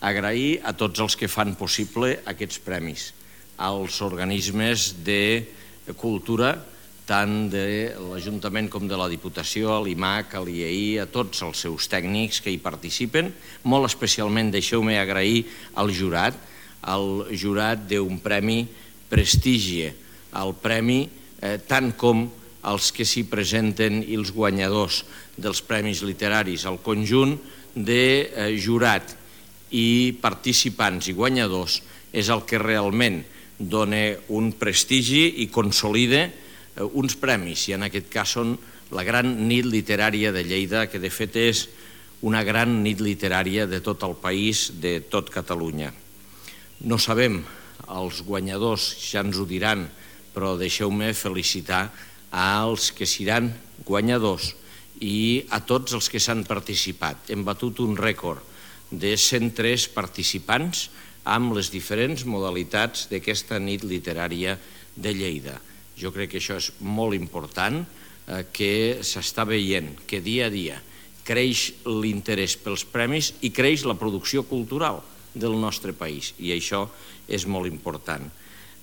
agrair a tots els que fan possible aquests premis, als organismes de cultura, tant de l'Ajuntament com de la Diputació, a l'IMAC, a l'IEI, a tots els seus tècnics que hi participen. Molt especialment deixeu-me agrair al jurat d'un premi Prestigie, el premi tant com els que s'hi presenten i els guanyadors dels premis literaris, el conjunt de jurat i participants i guanyadors és el que realment dona un prestigi i consolida uns premis, i en aquest cas són la Gran Nit Literària de Lleida, que de fet és una gran nit literària de tot el país, de tot Catalunya. No sabem, els guanyadors ja ens ho diran, però deixeu-me felicitar als que seran guanyadors i a tots els que s'han participat. Hem batut un rècord de 103 participants amb les diferents modalitats d'aquesta nit literària de Lleida. Jo crec que això és molt important, que s'està veient que dia a dia creix l'interès pels premis i creix la producció cultural del nostre país, i això és molt important.